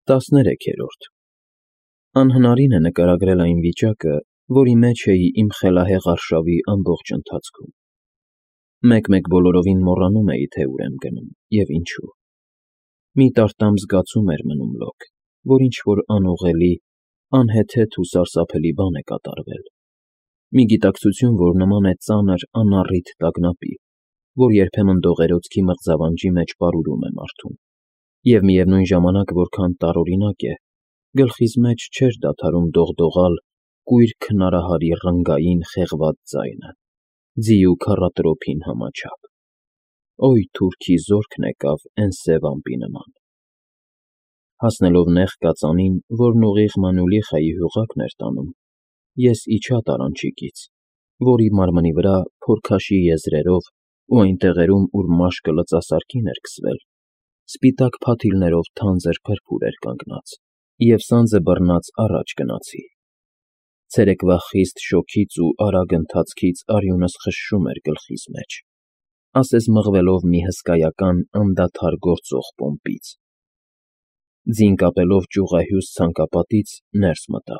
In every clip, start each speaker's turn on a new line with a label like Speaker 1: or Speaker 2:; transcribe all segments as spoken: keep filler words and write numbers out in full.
Speaker 1: տասներեքերորդ Անհնարին է նկարագրել այն վիճակը, որի մեջ էի իմ խելահեղ արշավի ամբողջ ընթացքում. մեկ֊մեկ բոլորովին մոռանում էի, թե ուր եմ գնում և ինչու. մի տարտամ զգացում էր մնում լոկ, որ ինչ-որ անուղղելի, անհեթեթ ու սարսափելի բան է կատարվել, մի գիտակցություն, որ նման է ծանր, անառիթ տագնապի, որ երբեմն դողերոցքի մղձավանջի մեջ պարուրում է մարդուն, և միևնույն ժամանակ որքան տարօրինակ է, գլխիս մեջ չէր դադարում դողդողալ կույր քնարահարի ռնգային խեղված ձայնը, ձի ու քառատրոփին համաչափ. «Օյ թուրքի զորքն եկավ էն սև ամպի նման»։ Հասնելով նեղ կածանին, որն ուղիղ Մանուլիխայի հյուղակն էր տանում, ես իջա տարանչիկից, որի մարմնի վրա փորքաշի եզրերով ու այն տեղերում, ուր մաշկը լծասարկին էր քսվել, սպիտակ փաթիլներով թանձր փրփուր էր կանգնած, և սանձը բռնած առաջ գնացի. ցերեկվա խիստ շոգից ու արագ ընթացքից արյունս խշշում էր գլխիս մեջ, ասես մղվելով մի հսկայական անդադար գործող պոմպից: Ձին կապելով ճյուղահյուս ցանկապատից ներս մտա: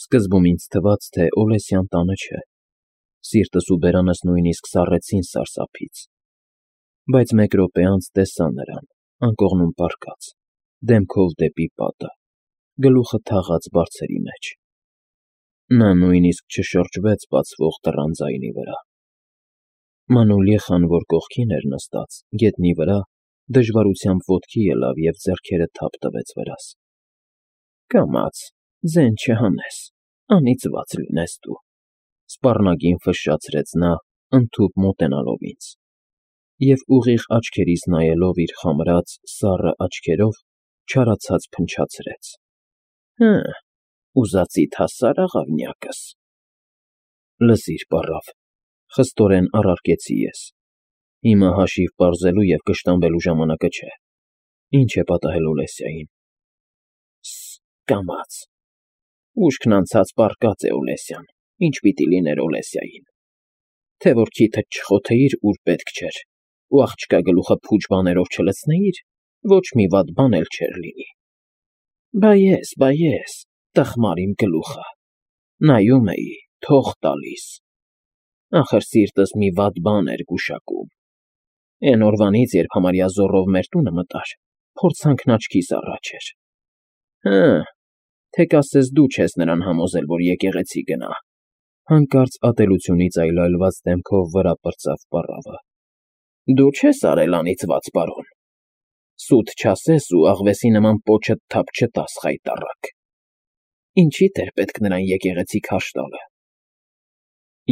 Speaker 1: Սկզբում ինձ թվաց, թե Օլեսյան տանը չէ, սիրտս ու բերանս նույնիսկ սառեցին սարսափից, բայց մեկ րոպե անց տեսա նրան, անկողնում պառկած, դեմքով դեպի պատը, գլուխը թաղած բարձերի մեջ: Նա նույնիսկ չշրջվեց բացվող դռան ձայնի վրա: Մանուլիխան, որ կողքին էր նստած, գետնի վրա, դժվարությամբ ոտքի ելավ և ձեռքերը թափ տվեց վրաս: «Կամաց, ձեն չհանես, անիծված լինես դու», սպառնագին ֆշշացրեց նա, ընդհուպ մոտենալով ինձ, և ուղիղ աչքերիս նայելով իր խամրած, սառը աչքերով, չարացած փնչացրեց. «Հը, ուզածիդ հասա՞ր, աղավնյակս»: «Լսիր, պառավ,֊ խստորեն առարկեցի ես,֊ հիմա հաշիվ պարզելու և կշտամբելու ժամանակը չէ, ի՞նչ է պատահել Օլեսյային»: «Սս, կամաց, ուշքն անցած պառկած է Օլեսյան, ինչ պիտի լիներ Օլեսյային: Թե որ քիթդ չխոթեիր, ուր պետք չէր, ու աղջկա գլուխը փուչ բաներով չլցնեիր, ոչ մի վատ բան էլ չէր լինի: Բա ես, բա ես, տխմար իմ գլուխը, նայում էի, թող տալիս, ախր սիրտս մի վատ բան էր գուշակում: Էն օրվանից, երբ համարյա զոռով մեր տունը մտար, փորձանքն աչքիս առաջ էր: Հը, թե կասես դու չես նրան համոզել, որ եկեղեցի գնա»: Հանկարծ ատելությունից այլայլված դեմքով վրա պրծավ պառավը: «Դու չես արել, անիծված պարոն, սուտ չասես ու աղվեսի նման պոչդ թափ չտաս, խայտառակ: Ինչի՞դ էր պետք նրան եկեղեցի քարշ տալը»: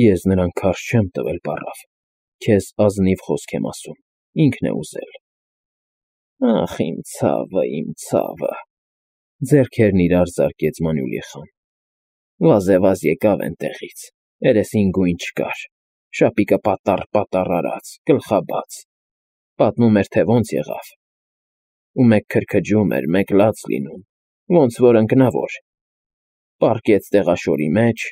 Speaker 1: «Ես նրան քարշ չեմ տվել, պառավ, քեզ ազնիվ խոսք եմ ասում, ինքն է ուզել»: «Ախ, իմ ցավը, իմ ցավը,֊ ձեռքերն իրար զարկեց Մանուլիխան,֊ վազեվազ եկավ էնտեղից, երեսին գույն չկար, շապիկը պատառ֊պատառ արած, գլխաբաց, պատմում էր, թե ոնց եղավ: Ու մեկ քրքջում էր, մեկ լաց լինում, ոնց որ ընկնավոր, պառկեց տեղաշորի մեջ,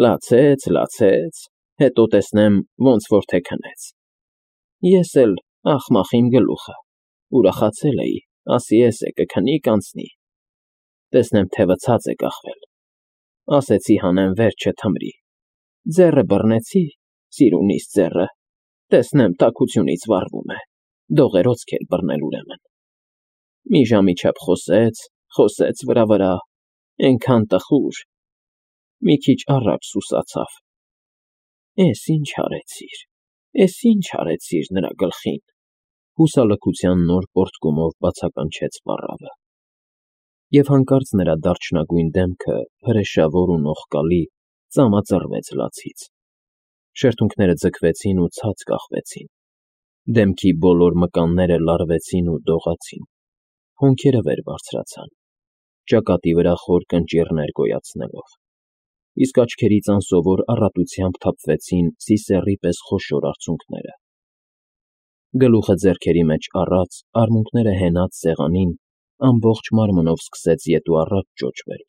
Speaker 1: լացեց, լացեց, հետո տեսնեմ, ոնց որ թե քնեց: Ես էլ, ախմախ իմ գլուխը, ուրախացել էի, ասի էսե կքնի, կանցնի: Տեսնեմ, թևը ցած է կախվել, ասեցի հանեմ վերջը թմրի, ձեռը բռնեցի, սիրունիս ձեռը, տեսնեմ, տաքությունից վառվում է, դողերոցք էր բռնել ուրեմն: Մի ժամի չափ խոսեց, խոսեց վրա֊վրա, էնքան տխուր, մի քիչ առաջ սուսացավ: Էս ինչ արեցիր, էս ինչ արեցիր նրա գլխին»: Հուսալքության նոր պոռթկումով բացականչեց պառավը: Եվ հանկարծ նրա դարչնագույն դեմքը, հրեշավոր ու նողկալի, ծամածռվեց լացից: Շրթունքները ձգվեցին ու ցած կախվեցին, դեմքի բոլոր մկանները լարվեցին ու դողացին, հոնքերը վեր բարձրացան, ճակատի վրա խոր կնճիռներ գոյացնելով, իսկ աչքերից անսովոր առատությամբ թափվեցին սիսեռի պես խոշոր արցունքները: Գլուխը ձեռքերի մեջ առած, արմունկները հենած սեղանին, ամբողջ մարմնով սկսեց ետ ու առաջ ճոճվել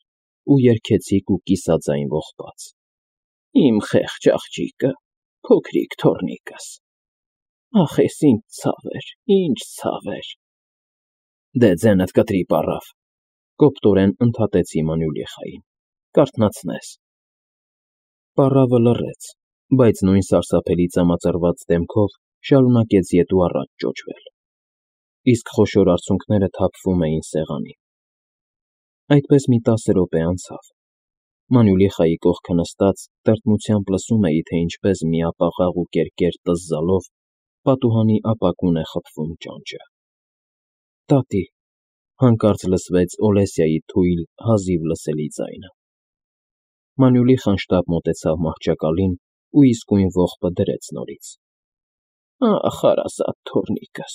Speaker 1: ու երգեցիկ ու կիսաձայն ողբաց. «Իմ խեղճ աղջիկը, փոքրիկ թոռնիկս, ախ, էս ինչ ցավ էր, ինչ ցավ էր»: Դե ձենդ կտրի պառավ, կոպտորեն ընդհատեցի Մանուլիխային, կարթնացնես։ Պառավը լռեց, բայց նույն սարսափելի ծամածռված դեմքով շարունակեց ետ ու առաջ ճոճվել, իսկ խոշոր արցունքները թափվում էին սեղանին։ Այդպես մի տասը րոպե անցավ։ Մանուլիխայի կողքը նստած տրտմությամբ լսում էի, թե ինչպես միապաղաղ ու կերկեր տզզալով պատուհանի ապակուն է խփվում ճանճը։ Տատի, հանկարծ լսվեց Օլեսիայի թույլ, հազիվ լսելի ձայնը։ Մանուլիխան շտապ մոտեցավ մահճակալին ու իսկույն ողբը դրեց նորից։ Ախ, հարազատ թոռնիկս,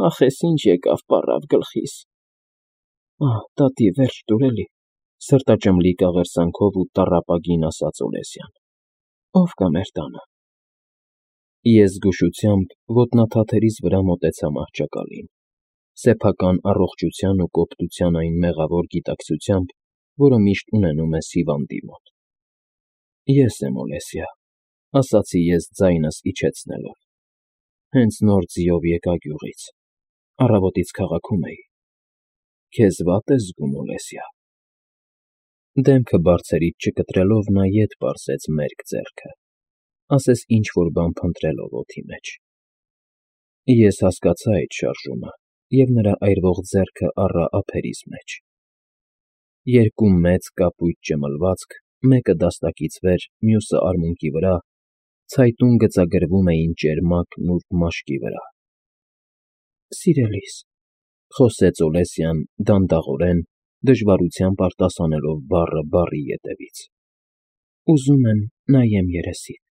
Speaker 1: ախ, էս ինչ եկավ պառավ գլխիս։ Ահ, տատի, վերջ տուր էլի, սրտաճմլիկ աղերսանքով ու տառապագին ասաց Օլեսյան։ Ո՞վ կա մեր տանը։ Ես զգուշությամբ ոտնաթաթերիս վրա մոտեցա մահճակալին, սեփական առողջության ու կոպտության այն մեղավոր գիտակցությամբ, որը միշտ ունենում ես հիվանդի մոտ։ Ես եմ Օլեսիա, ասացի ես ձայնս իջեցնելով։ Հենց նոր ձիով եկա գյուղից, առավոտից քաղաքում էի։ Քեզ վատ ես զգում, Օլեսիա։ Դեմքը բարձերից չկտրելով նա ետ պարզեց մերկ ձեռքը, ասես ինչ-որ բան փնտրելով օդի մեջ։ Ես հասկացա այդ շարժումը և նրա այրվող ձեռքը առա ափերիս մեջ։ Երկու մեծ կապույտ ճմլվածք, մեկը դաստակից վեր, մյուսը արմունկի վրա, ցայտուն գծագրվում էին ճերմակ, նուրբ մաշկի վրա։ Սիրելիս, խոսեց Օլեսյան դանդաղորեն, դժվարությամբ արտասանելով բառը բառի ետևից։ Ուզում եմ նայեմ երեսիդ,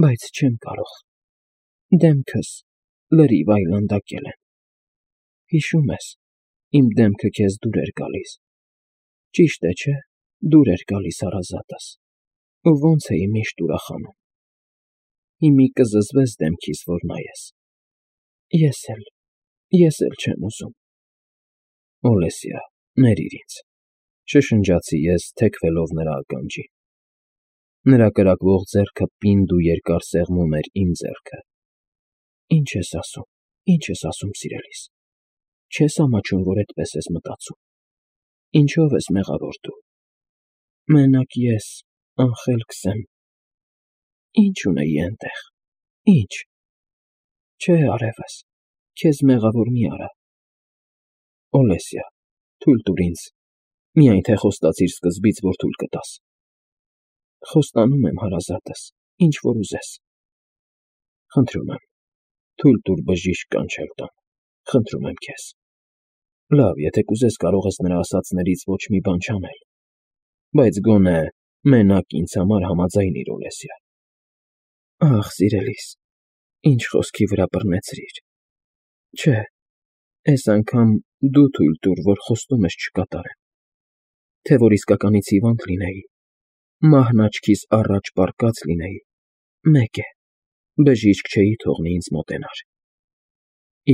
Speaker 1: բայց չեմ կարող։ Դեմքս լրիվ այլանդակել են։ Հիշում ես, իմ դեմքը քեզ դուր էր գալիս։ Ճիշտ է, չէ՞, դուր էր գալիս հարազատս, ու ոնց էի միշտ ուրախանում։ Հիմի կզզվես դեմքիս, որ նայես։ Ես էլ, ես էլ չեմ ուզում։ Օլեսիա, ներիր ինձ, շշնջացի ես, թեքվելով նրա ականջին։ Նրա կրակվող ձեռքը պինդ ու երկար սեղմում էր իմ ձեռքը։ Ինչ ես ասում, ինչ ես ասում, սիրելիս։ Չես ամաչում, որ էդպես ես մտածում։ Ինչո՞վ ես մեղավոր դու։ Մենակ ես, անխելքս եմ։ Ինչ ունեի էնտեղ, ինչ։ Չէ, արևս, քեզ մեղավոր մի արա։ Օլեսիա, թույլ տուր ինձ, միայն թե խոստացիր սկզբից, որ թույլ կտաս։ Խոստանում եմ, հարազատս, ինչ որ ուզես։ Խնդրում եմ, թույլ տուր բժիշկ կանչել տան, խնդրում եմ քեզ։ Լավ, եթե կուզես, կարող ես նրա ասածներից ոչ մի բան չանել, բայց գոնե մենակ ինձ համար համաձայնիր, Օլեսիա։ Ախ, սիրելիս, ինչ խոսքի վրա բռնեցրիր։ Չէ, այս անգամ դու թույլ տուր, որ խոստումս չկատարեմ, թե որ իսկականից հիվանդ լինեի, մահն աչքիս առաջ պառկած լինեի, մեկ է, բժիշկ չէի թողնի ինձ մոտենար։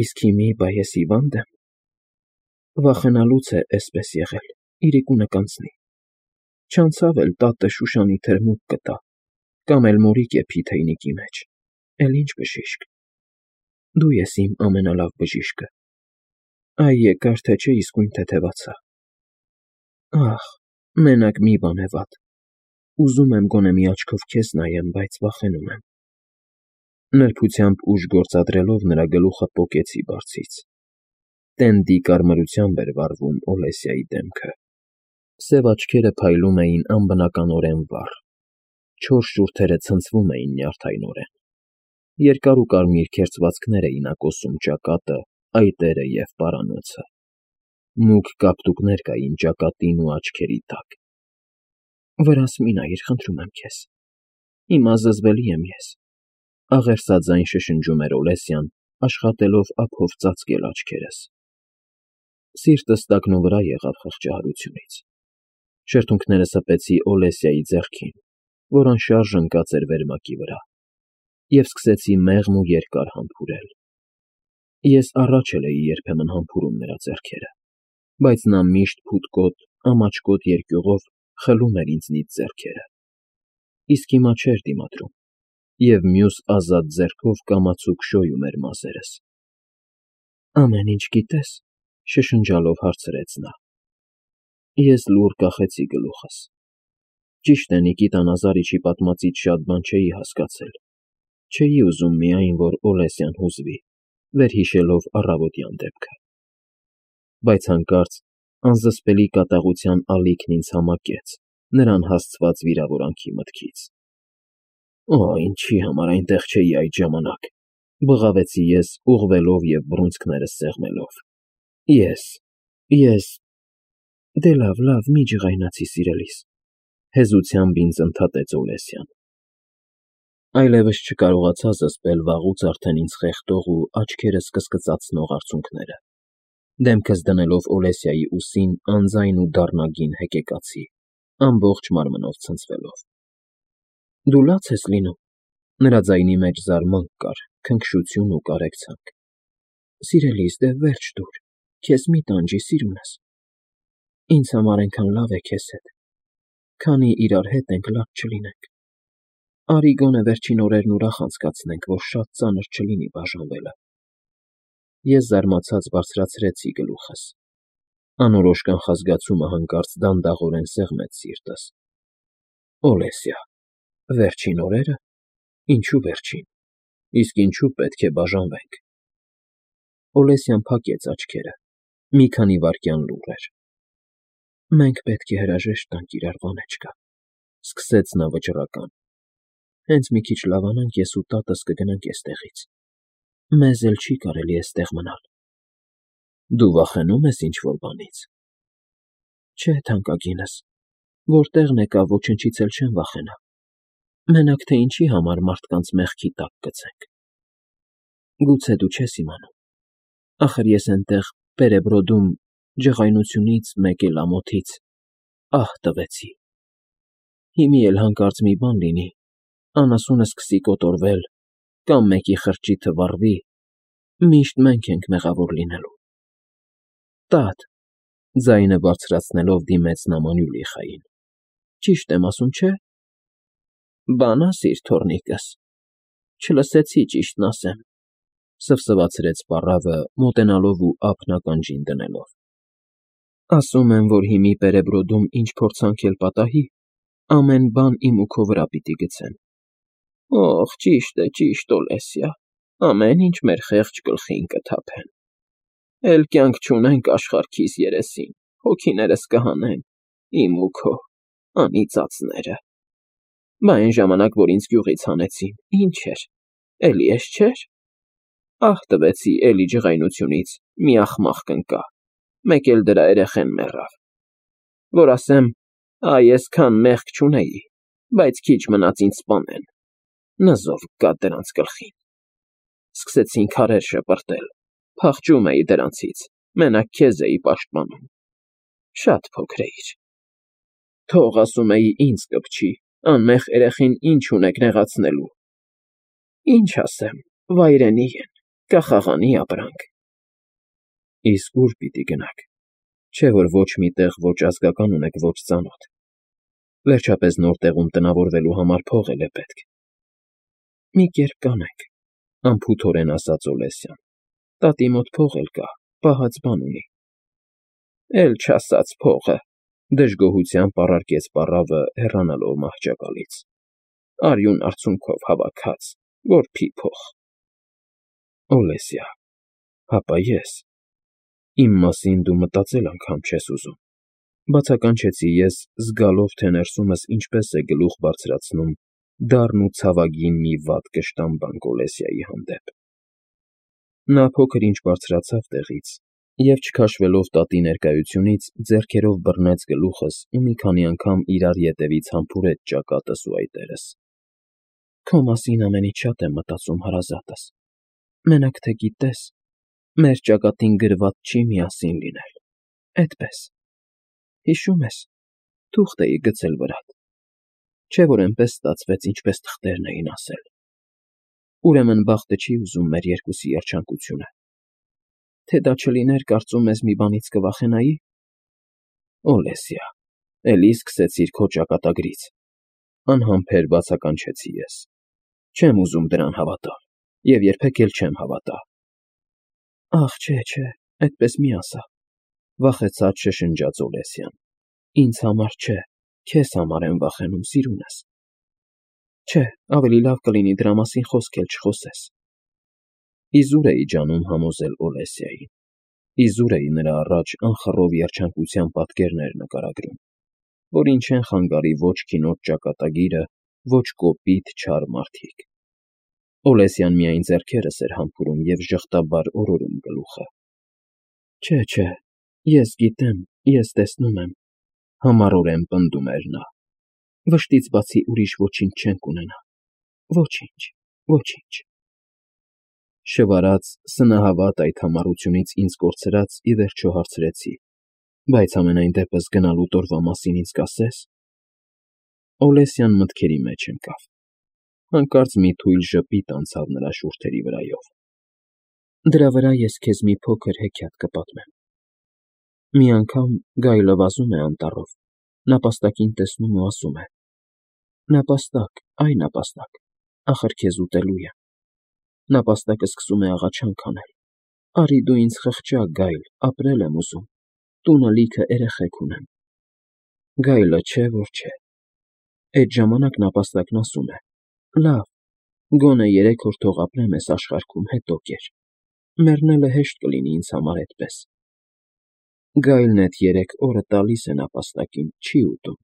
Speaker 1: Իսկ հիմի բա ես հիվա՞նդ եմ։ Վախենալուց է էսպես եղել, իրիկունը կանցնի։ Չանցավ էլ տատը Շուշանի թրմուկ կտա, կամ էլ մորիկ եփի թեյնիկի մեջ, էլ ինչ բժիշկ։ Դու ես իմ ամենալավ բժիշկը։ Այ եկար, թե չէ իսկույն թեթևացա։ Ախ, մենակ մի բան է վատ։ Ուզում եմ գոնե մի աչքով քեզ նայեմ, բայց վախենում եմ։ Նրբությամբ ուժ գործադրելով նրա գլուխը պոկեցի բարձից։ Տենդի կարմրությամբ էր վառվում Օլեսիայի դեմքը։ Սև աչքերը փայլում էին անբնականորեն վառ։ Չոր շուրթերը ցնցվում էին նյարդայնորեն։ Երկար ու կարմիր քերծվածքներ էին ակոսում ճակատը, այտերը և պարանոցը։ Մուգ կապտուկներ կային ճակատին ու աչքերի տակ։ Վրաս մի նայիր, խնդրում եմ քեզ։ Հիմա զզվելի եմ ես։ Աղերսաձայն շշնջում էր Օլեսյան, աշխատելով ափով ծածկել աչքերս։ Սիրտս տակնուվրա եղավ խղճահարությունից։ Շրթունքներս հպեցի Օլեսիայի ձեռքին, որ անշարժ ընկած էր վերմակի վրա, և սկսեցի մեղմ ու երկար համբուրել։ Ես առաջ էլ էի երբեմն համբուրում նրա ձեռքերը, բայց նա միշտ փութկոտ, ամաչկոտ երկյուղով խլում էր ինձնից ձեռքերը, իսկ հիմա չէր դիմադրում, և մյուս ազատ ձեռքով կամացուկ շոյում էր մազերս։ Ամեն ինչ գիտե՞ս, Շշնջալով հարցրեց նա։ Ես լուռ կախեցի գլուխս։ Ճիշտ է, Նիկիտա Նազարիչի պատմածից շատ բան չէի հասկացել, չէի ուզում միայն, որ Օլեսյան հուզվի, վերհիշելով առավոտյան դեպքը։ Բայց հանկարծ անզսպելի կատաղության ալիքն ինձ համակեց նրան հասցված վիրավորանքի մտքից։ Օ, ինչի համար այնտեղ չէի այդ ժամանակ, բղավեցի ես, ուղղվելով և բռունցքներս սեղմելով։ Ես, ես… Դե լավ, լավ, մի ջղայնացի, սիրելիս, հեզությամբ ինձ ընդհատեց Օլեսյան։ Այլևս չկարողացա զսպել վաղուց արդեն ինձ խեղդող ու աչքերս կսկծացնող արցունքները, դեմքս դնելով Օլեսյայի ուսին անձայն ու դառնագին հեկեկացի, ամբողջ մարմնով ցնցվելով։ Դու լաց ես լինում… Նրա ձայնի մեջ զարմանք կար, քնքշություն ու կարեկցանք։ Սիրելիս, դե վերջ տուր, քեզ մի տանջի, սիրունս… Ինձ համար էնքան լավ է քեզ հետ, քանի իրար հետ ենք, լաց չլինենք… Արի գոնե վերջին օրերն ուրախ անցկացնենք, որ շատ ծանր չլինի բաժանվելը… Ես զարմացած բարձրացրեցի գլուխս։ Անորոշ կանխազգացումը հանկարծ դանդաղորեն սեղմեց սիրտս։ Օլեսյա… Վերջին օրե՞րը… Ինչու վերջին… Իսկ ինչու պետք է բաժանվենք… Օլեսյան փակեց աչքերը, մի քանի վայրկյան լուռ էր։ Մենք պետք է հրաժեշտ տանք իրար, Վանեչկա, սկսեց նա վճռական։ Հենց մի քիչ լավանանք, ես ու տատս կգնանք էստեղից… Մեզ էլ չի կարելի էստեղ մնալ… Դու վախենո՞ւմ ես ինչ֊որ բանից… Չէ, թանկագինս, որտեղ եկա, ոչնչից էլ չեմ վախենա… Մենակ թե ինչի համար մարդկանց մեղքի տակ գցենք… Գուցե դու չես իմանում… Ախր ես էնտեղ Պերեբրոդում ջղայնությունից, մեկ էլ ամոթից ահ տվեցի… Հիմի էլ հանկարծ մի բան լինի, անասունը սկսի կոտորվել, կամ մեկի խրճիթը վառվի, միշտ մենք ենք մեղավոր լինելու… Տա՛տ, ձայնը բարձրացնելով դիմեց նա Մանուլիխային, ճիշտ եմ ասում, չէ՞… Բան ասիր, թոռնիկս, չլսեցի, ճիշտն ասեմ, սվսվացրեց պառավը, մոտենալով ու ափն ականջին դնելով։ Ասում եմ, որ հիմի Պերեբրոդում ինչ փորձանք էլ պատահի, ամեն բան իմ ու քո վրա պիտի գցեն… Օխ, ճիշտ է, ճիշտ, Օլեսյա, ամեն ինչ մեր խեղճ գլխին կթափեն… Էլ կյանք չունենք աշխարհքիս երեսին, հոգիներս կհանեն, իմ ու քո, անիծածները… Բա էն ժամանակ, որ ինձ գյուղից հանեցին, ինչ էր, էլի էս չէր… Ահ տվեցի, էլի ջղայնությունից մի աղմաղ կընկա, մեկ էլ դրա երեխեն մեռավ… Որ ասեմ, այ էսքան մեղք չունեի, բայց քիչ մնաց ինձ սպանեն… Նզով գա դրանց գլխին… Սկսեցին քարեր շպրտել, փախչում էի դրանցից, մենակ քեզ էի պաշտպանում… Շատ փոքր էիր… Թող, ասում էի, ինձ կպչի, անմեղ երեխին ինչ ունեք նեղացնելու… Ինչ ասեմ, վայրենի են, կախաղանի ապրանք… Իսկ ո՞ւր պիտի գնաք… Չէ՞ որ ոչ մի տեղ ոչ ազգական ունեք, ոչ ծանոթ… Վերջապես նոր տեղում տնավորվելու համար փող էլ է պետք… Մի կերպ կանենք, անփութորեն ասաց Օլեսյան, տատի մոտ փող էլ կա, պահած բան ունի… Էլ չասած փողը… Դժգոհությամբ առարկեց պառավը, հեռանալով մահճակալից… Արյուն արցունքով հավաքած, որբի փող… Օլեսյա… Հապա ես… Իմ մասին դու մտածել անգամ չես ուզում… Բացականչեցի ես, զգալով, թե ներսումս ինչպես է գլուխ բարձրացնում դառն ու ցավագին մի վատ կշտամբանք Օլեսյայի հանդեպ… Նա փոքր-ինչ բարձրացավ տեղից և, չքաշվելով տատի ներկայությունից, ձեռքերով բռնեց գլուխս ու մի քանի անգամ իրար ետևից համբուրեց ճակատս ու այտերս… Քո մասին ամենից շատ եմ մտածում, հարազատս… Մենակ թե գիտես, մեր ճակատին գրված չի միասին լինել, էդպես… Հիշո՞ւմ ես, թուղթ էի գցել վրատ… Չէ՞ որ էնպես ստացվեց, ինչպես թղթերն էին ասել… Ուրեմն բախտը չի ուզում մեր երկուսի երջանկությունը… Թե դա չլիներ, կարծում ես, մի բանից կվախենայի… Օլեսյա… Էլի սկսեցիր քո ճակատագրից… Անհամբեր բացականչեցի ես… Չեմ ուզում դրան հավատալ և երբեք էլ չեմ հավատա… Ախ, չէ, չէ, այդպես մի ասա… Վախեցած շշնջաց Օլեսյան։ Ինձ համար չէ, քեզ համար եմ վախենում, սիրունս։ Չէ, ավելի լավ կլինի դրա մասին խոսք էլ չխոսես։ Իզուր էի ջանում համոզել Օլեսիային։ Իզուր էի նրա առաջ անխռով երջանկության պատկերներ նկարագրում, որին չեն խանգարի ոչ քինոտ ճակատագիրը, ոչ կոպիտ չար մարդիկ։ Օլեսյան միայն ձեռքերս էր համբուրում և ժխտաբար օրորում գլուխը։ Չէ, չէ, ես գիտեմ, ես տեսնում եմ, համառորեն պնդում էր նա։ Վշտից բացի ուրիշ ոչինչ չենք ունենա։ Ոչինչ, ոչինչ։ Շվարած, սնահավատ այդ համառությունից ինձ կորցրած ի վերջո հարցրեցի. Բայց ամենայն դեպս գնալու տորվա մասին ինձ կասե՞ս։ Օլեսյան մտքերի մեջ ընկավ։ Հանկարծ մի թույլ ժպիտ անցավ նրա շուրթերի վրայով։ Դրա վրա ես քեզ մի փոքր հեքիաթ կպատմեմ։ Մի անգամ գայլը վազում է անտառով, նապաստակին տեսնում ու ասում է. Նապաստակ, այ նապաստակ, ախր քեզ ուտելու եմ։ Նապաստակը սկսում է աղաչանք անել. Արի դու ինձ խղճա, գայլ, ապրել եմ ուզում, տունը լիքը երեխեք ունեմ։ Գայլը չէ, որ չէ։ Այդ ժամանակ նապաստակն ասում է. Լավ, գոնե երեք օր թող ապրեմ էս աշխարհքում, հետո կեր։ Մեռնելը հեշտ կլինի ինձ համար էդպես։ Գայլն էդ երեք օրը տալիս է նապաստակին, չի ուտում։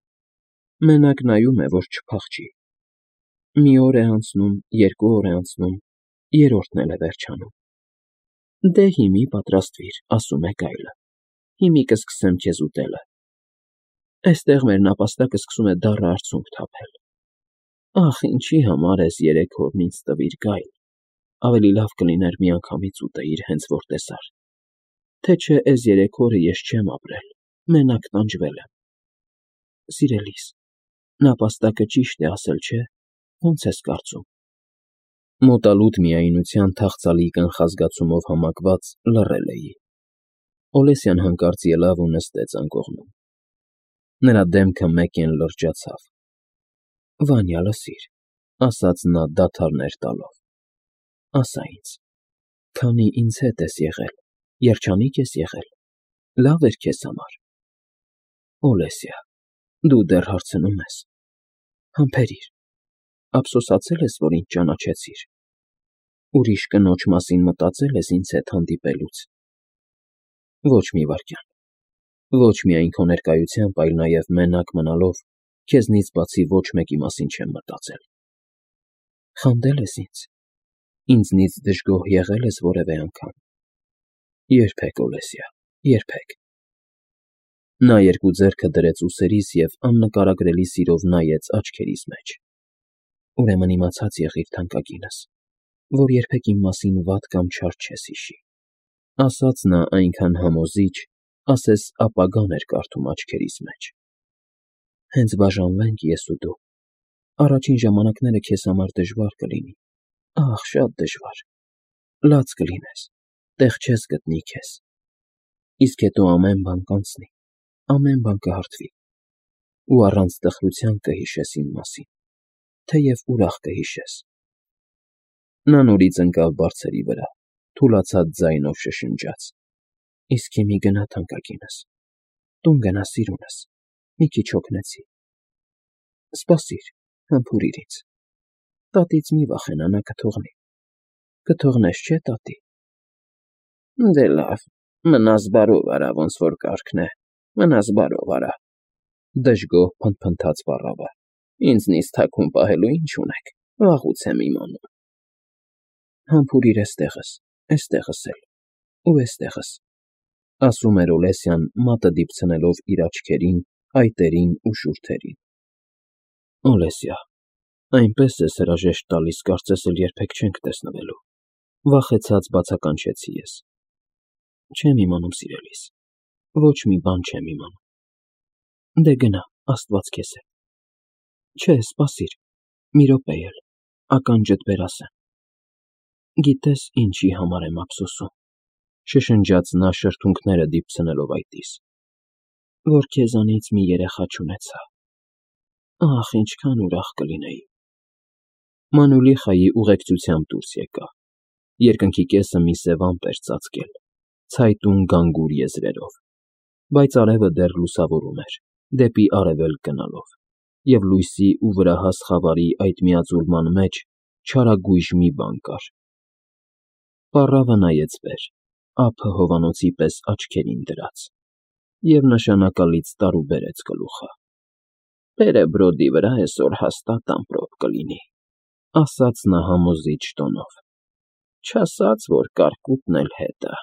Speaker 1: Մենակ նայում է, որ չփախչի։ Մի օր է անցնում, երկու օր է անցնում, երրորդն էլ է վերջանում։ Դե հիմի պատրաստվիր, ասում է գայլը։ Հիմի կսկսեմ քեզ ուտելը։ Էստեղ մեր նապաստակը սկսում է դառը արցունք թափել։ Ախ, ինչի համար ես երեք օրն ինձ տվիր, գայլ։ Ավելի լավ կլիներ միանգամից ուտեիր, հենց որ տեսար։ Թե չէ էս երեք օրը ես չեմ ապրել, մենակ տանջվել եմ։ Սիրելիս, նապաստակը ճիշտ է ասել, չէ՞, ո՞նց ես կարծում։ Մոտալուտ միայնության թախծալի կանխազգացումով համակված լռել էի։ Օլեսյան հանկարծ ելավ ու նստեց անկողնում։ Նրա դեմքը մեկեն լրջացավ։ Վանյա, լսիր, ասաց նա դադարներ տալով։ Ասա ինձ, քանի ինձ հետ ես եղել, երջանիկ ես եղել, լավ էր քեզ համար։ Օլեսիա, դու դեռ հարցնում ես։ Համբերիր, ափսոսացել ես, որ ինձ ճանաչեցիր։ Ուրիշ կնոջ մասին մտածել ես ինձ հետ հանդիպելուց։ Ոչ մի վայրկյան։ Ոչ միայն քո ներկայությամբ, այլ նաև մենակ մնալով, քեզնից բացի ոչ մեկի մասին չեմ մտածել։ Խանդել ես ինձ։ Ինձնից դժգոհ եղել ես որևէ անգամ։ Երբեք, Օլեսիա, երբեք։ Նա երկու ձեռքը դրեց ուսերիս և աննկարագրելի սիրով նայեց աչքերիս մեջ։ Ուրեմն իմացած եղիր, թանկագինս, որ երբեք իմ մասին վատ կամ չար չես հիշի, ասաց նա այնքան համոզիչ, ասես ապագան էր կարդում աչքերիս մեջ։ Հենց բաժանվենք ես ու դու, առաջին ժամանակները քեզ համար դժվար կլինի, ախ, շատ դժվար, լաց կլինես, տեղ չես գտնի քեզ, իսկ հետո ամեն բան կանցնի, ամեն բան կհարթվի, ու առանց տխրության կհիշես իմ մասին, թեև ուրախ կհիշես։ Նա նորից ընկավ բարձերի վրա, թուլացած ձայնով շշնջաց. Իսկ հիմի գնա, թանկագինս, տուն գնա, սիրունս, մի քիչ հոգնեցի։ Սպասիր, համբուրիր ինձ։ Տատից մի վախենա, նա կթողնի։ Կթողնես, չէ՞, տատի։ Դե լավ, մնաս բարով արա, ոնց որ կարգն է, մնաս բարով արա, դժգոհ փնթփնթաց պառավը։ Ինձնից թաքուն պահելու ինչ ունեք, վաղուց եմ իմանում։ Համբուրիր էստեղս, էստեղս էլ, ու էստեղս, ասում էր Օլեսյան, մատը դիպցնելով իր աչքերին, այտերին ու շուրթերին։ Օլեսիա, այնպես ես հրաժեշտ տալիս, կարծես էլ երբեք չենք տեսնվելու, վախեցած բացականչեցի ես։ Չեմ իմանում, սիրելիս, ոչ մի բան չեմ իմանում։ Դե գնա, Աստված քեզ հետ։ Չէ, սպասիր, մի րոպե էլ, ականջդ բեր ասեմ։ Գիտես ինչի համար եմ ափսոսում, շշնջաց նա շրթունքները դիպցնելով այտիս, որ քեզանից մի երեխա չունեցա։ Ախ, ինչքան ուրախ կլինեի։ Մանուլիխայի ուղեկցությամբ դուրս եկա։ Երկնքի կեսը մի սև ամպ էր ծածկել, ցայտուն գանգուր եզրերով։ Բայց արևը դեռ լուսավորում էր, դեպի արևելք գնալով, և լույսի ու վրահաս խավարի այդ միաձուլման մեջ չարագույժ մի բան կար… Պառավը նայեց վեր, ափը հովանոցի պես աչքերին դրած, և նշանակալից տարուբերեց գլուխը։ ֊ Բերեբրոդի վրա էսօր հաստատ ամպրոպ կլինի, ֊ ասաց նա համոզիչ տոնով, ֊ չասած, որ կարկուտն էլ հետ ա։